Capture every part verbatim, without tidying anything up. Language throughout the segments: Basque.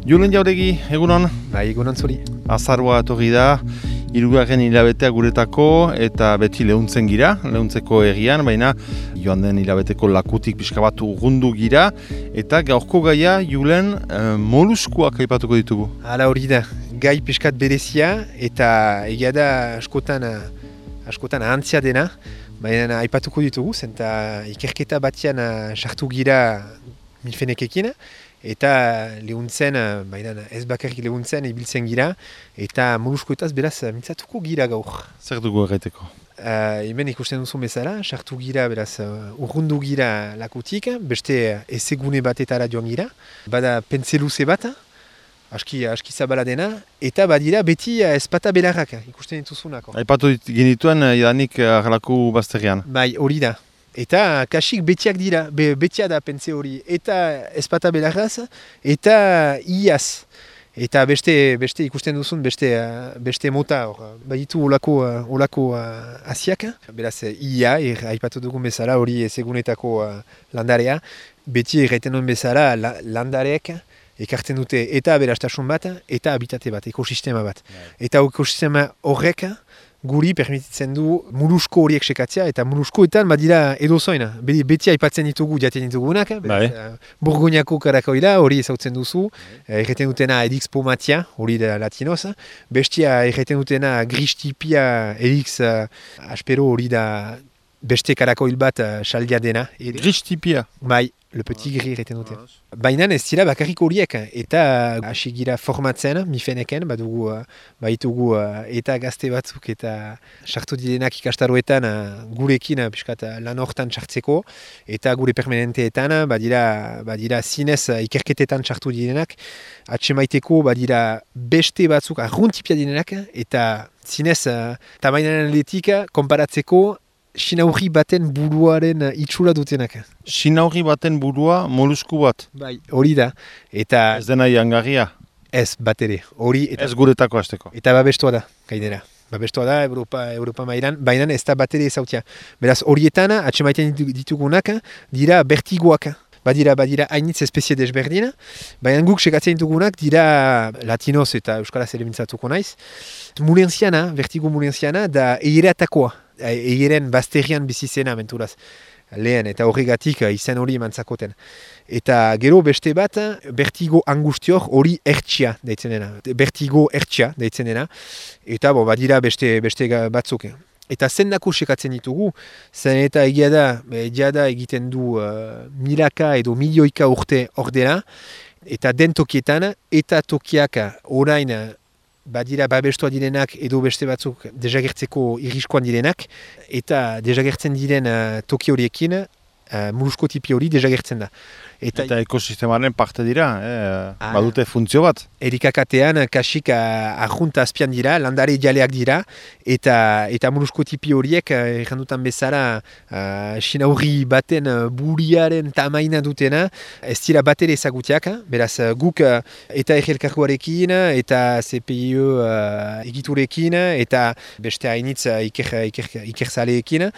Julen Jauregi, egunon? Bai, egunon zuri. Azaroa etorri da, hirugarren hilabetea guretako eta beti lehuntzen gira, lehuntzeko egian, baina joan den hilabeteko lakutik pixka bat urrundu gira, eta gaurko gaia Julen eh, moluskuak aipatuko ditugu. Hala hori da, gai pixkat berezia eta egia da askotan, askotan ahantzia dena, baina aipatuko ditugu, zenta ikerketa batean sartu gira milfenekekin, eta lehuntzen, baina ez bakarrik lehuntzen, ibiltzen gira, eta moluskuetaz beraz mintzatuko gira gaur. Zer dugu erraiteko? Uh, hemen ikusten duzu bezala, sartu gira, beraz, uh, urrundu gira lakutik, beste ezegune batetara joan gira, bada pentseluze bat, aski, aski zabala dena, eta badira beti uh, ezpata belarrak, ikusten dituzunako. Aipatu genituen jadanik arlaku bazterrean. Bai, hori da. Eta kasik betiak dira, be, betia da pentze hori, eta ezpata belarraz, eta iaz. Eta beste, beste ikusten duzun, beste, beste mota hor, baditu olako, olako asiak. Beraz, ia, er, aipatu dugun bezala, hori ezegunetako landarea. Beti erraiten duen bezala, la, landareek ekartzen dute eta aberastasun bat, eta habitate bat, ekosistema bat. Eta ekosistema horrek, guri permititzen du molusko horiek sekatzea, eta moluskoetan badira edozoina. Beti aipatzen ditugu jaten ditugunak, uh, Borgoñako karakoila hori ezautzen duzu, erreten dutena Edix pomatia, hori da latinoz, bestia erreten dutena Gristipia Edix uh, aspero hori da beste karakoil bat uh, saldia dena. Gristipia? Bai. Le petit gris erreten dute. Baina ez dira bakarrik horiek, eta hasi gira formatzen, mifeneken, badugu, baitugu eta gazte batzuk eta sartu direnak ikastaroetan gurekin piskat lan hortan sartzeko, eta gure permanenteetan badira, badira zinez ikerketetan sartu direnak, atsemaiteko badira beste batzuk arruntipia direnak, eta zinez tamainaren letik konparatzeko sinaurri baten buruaren itxura dutenak. Sinaurri baten burua molusku bat? Bai, hori da. Eta ez dena jangarria? Ez, bat ere. Hori eta ez guretako hasteko? Eta babestua da, gainera. Babestua da, Europa, Europa mailan, baina ez da bat ere ezautia. Beraz, horietan, atsemaiten ditugunak, dira bertigoak. Badira, badira hainitz espezie desberdin, baina guk sekatzen ditugunak dira latinoz eta euskaraz ere mintzatuko naiz. Mulenziana, vertigo mulenziana, da eiratakoa. Eiren bazterian bizizena menturaz lehen, eta horregatik izen hori emantzakoten. Eta gero beste bat, vertigo angustior hori ertsia deitzen dena. Vertigo ertsia deitzen dena. Eta bo, badira beste, beste batzuk. Eta zendako sekatzen ditugu, zen eta egia da, egia da egiten du uh, milaka edo milioika urte ordena, eta den tokietan, eta tokiak orain badira babestua direnak edo beste batzuk desagertzeko irriskoan direnak, eta desagertzen diren uh, toki horiekin, uh, molusko tipi hori desagertzen da. Eta, eta ekosistemaren parte dira, eh? ah, badute funtzio bat? Erikakatean kasik arjunta azpian dira, landare jaleak dira, eta, eta molusko tipi horiek, errandutan bezala, uh, sinaurri baten uh, buriaren tamaina dutena, ez dira bat ere ezagutiak, beraz guk uh, eta egelkargoarekin, eta C P I E uh, egiturekin, eta beste hainitz uh, iker, iker, ikerzaleekin,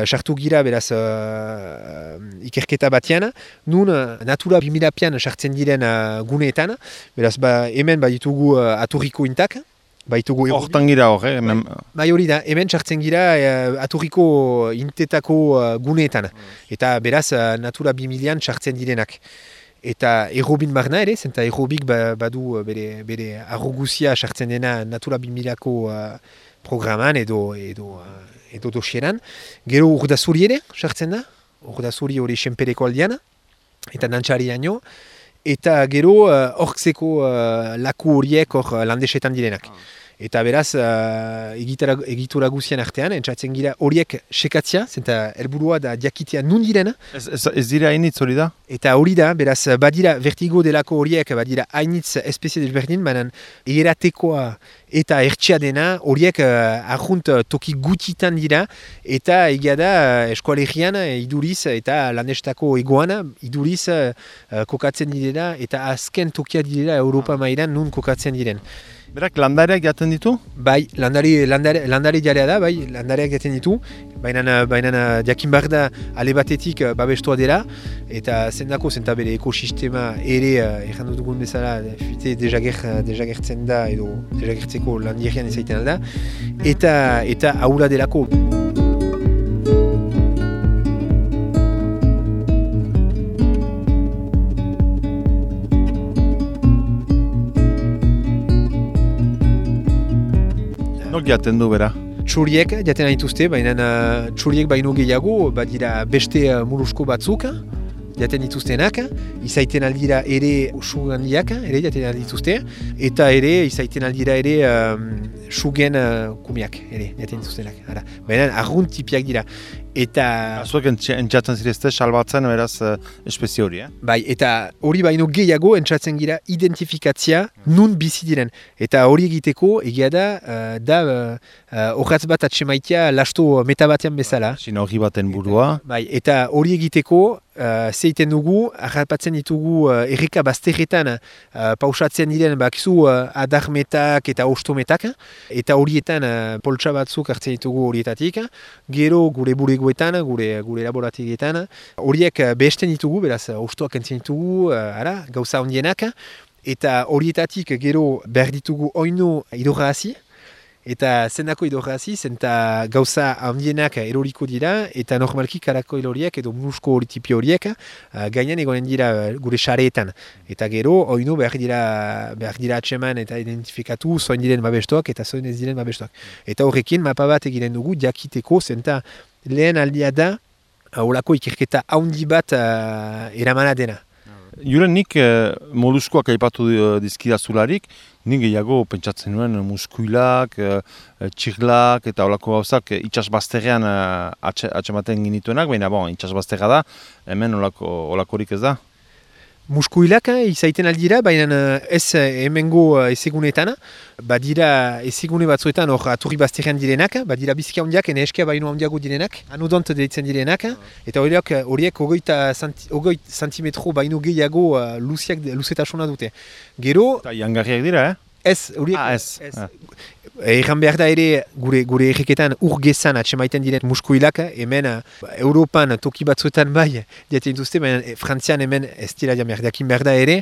sartu uh, gira beraz uh, ikerketa batean, nun Natura bi milapian sartzen diren uh, guneetan, beraz ba, hemen baditugu uh, aturriko intak, baditugu... Hortan gira hor, eh? Hemen... Bai hori da, hemen sartzen gira uh, aturriko intetako uh, guneetan, eta beraz uh, Natura bi milian sartzen direnak. Eta errobin barna ere, zenta errobik ba, badu bere, bere arroguzia sartzen dena Natura bi milako uh, programan edo, edo, uh, edo dosieran. Gero urdazuri ere sartzen da, urdazuri hori senpereko aldean, eta nantxari daño, eta gero hortzeko uh, uh, laku horiek hor uh, landesetan direnak. Ah. Eta beraz, uh, egitura, egitura guzien artean, entzatzen gira horiek sekatzea, zenta helburua da diakitea nun direna. Ez, ez, ez dira hainitz hori da? Eta hori da, beraz, badira vertigo delako horiek, badira hainitz espezie desberdin, baina eratekoa eta ertsia dena, horiek uh, arjunt toki gutitan dira, eta egia da eskualerian iduriz eta landestako egoan iduriz uh, kokatzen direla, eta azken tokia direla Europa mailan nun kokatzen diren. Berak landariak jaten ditu? Bai, landari, landari, landari jarea da, bai, landariak jaten ditu, baina, baina jakin behar da ale batetik babestua dela, eta zendako zenta bere ekosistema ere, erran dugun bezala, fite dejager, dejagertzen da, edo dejagertzeko landirian izaiten alda, eta, eta aula delako. Nok jaten du bera? Txuriek jaten dituzte, baina uh, txuriek baino gehiago, badira beste uh, molusko batzuk, jaten dituztenak, izaiten aldira ere sugandiak, ere jaten dituzte, eta ere izaiten aldira ere um, sugen uh, kumiak, ere jaten dituztenak. Ara. Baina arrunt tipiak dira. Eta... Zuek entzatzen zirezte, salbatzen beraz uh, espezie hori, eh? Bai, eta hori baino gehiago entzatzen gira identifikatzia nun bizi diren. Eta hori egiteko, egia da, uh, da horratz uh, bat atsemaitia lasto meta batean bezala. Sinergi baten burua. Eta, bai, eta hori egiteko, uh, zeiten dugu, harrapatzen ditugu uh, erreka bazterretan uh, pausatzen diren bakizu uh, adarmetak eta ostometak, eta horietan uh, poltsa batzuk hartzen ditugu horietatik, gero gure burego gure gure laborategietan horiek behesten ditugu, beraz ostoak entzien ditugu, ara, gauza ondienak, eta horietatik gero behar ditugu oinu hidrogazi, eta zendako hidrogazi, zenta gauza ondienak eroriko dira, eta normalki karako horiek edo musko hori tipi horiek gainan egonen dira gure xareetan, eta gero oinu behar dira behar dira atseman eta identifikatu zoin diren babestoak eta zoin ez diren babestoak. Eta horrekin mapa bat egiten dugu jakiteko, zenta lehen aldia da, holako ikerketa haundi bat uh, eramana dena. Juren nik eh, moluskoak aipatu dizkidazularik, nik gehiago pentsatzen nuen muskuilak, eh, txirlak eta holako gauzak itsasbazterrean eh, atsematen ginituenak, baina bon, itsasbazterra da, hemen holako, holakorik ez da. Muskuilak izaiten aldira, baina ez hemengo ezegunetan, badira ezegune batzuetan hor aturri bazterrean direnak, badira biziki handiak, ene eskia baino handiago direnak, anodont deitzen direnak, eta horiek horiek hogei santimetro baino gehiago uh, luziak, luzetasuna dute. Gero... Eta jangarriak dira, eh? Ez, horiek... Ah, ez. ez. Ah. Egan behar da ere gure, gure erreketan urgezan atsemaiten diren muskuilak, hemen Europan toki batzuetan bai diaten duzte, baina Frantzian hemen ez dira dian behar dakin behar da ere,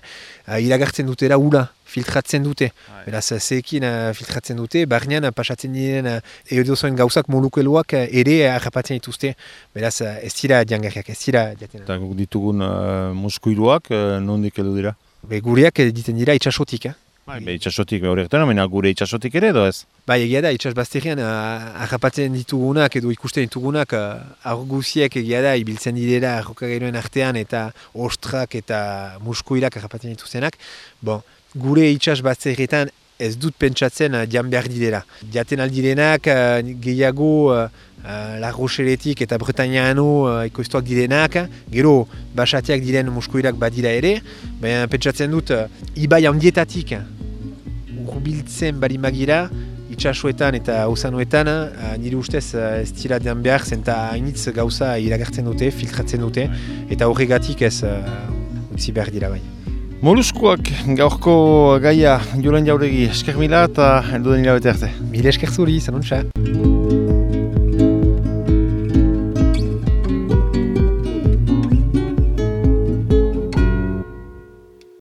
uh, iragartzen dutera ura, filtratzen dute. Ah, beraz, zeekin uh, filtratzen dute, barnean pasatzen diren uh, edozoen gauzak molukeloak uh, ere harrapatzen dituzte. Beraz, uh, ez dira diangarriak, ez dira diaten. Eta ditugun uh, muskuiluak, uh, nondik edo dira? Be, gureak diten dira itxasotik, eh? Be, itxasotik horretan, baina gure itxasotik ere edo ez? Bai, egia da, itxasbazterian harrapatzen ditugunak edo ikusten ditugunak arguziek egia da, ibiltzen direla arrokagailoen artean eta ostrak eta muskuilak harrapatzen dituztenak. Bon, gure itxasbazterietan ez dut pentsatzen dian behar direla. Diaten aldirenak gehiago La Rocheletik eta Bretañano ekoiztuak direnak, gero basatiak diren muskuilak badira ere, baina pentsatzen dut ibai handietatik urbiltzen bari magira, itxasuetan eta osanoetan, nire ustez ez dira dian behar, zenta hainitz gauza iragartzen dute, filtratzen dute, eta horregatik ez utzi behar dira bai. Moluskoak gaurko gaia Jolen Jauregi esker mila eta elduden hilabete arte. Mila esker zuri, zanontxa.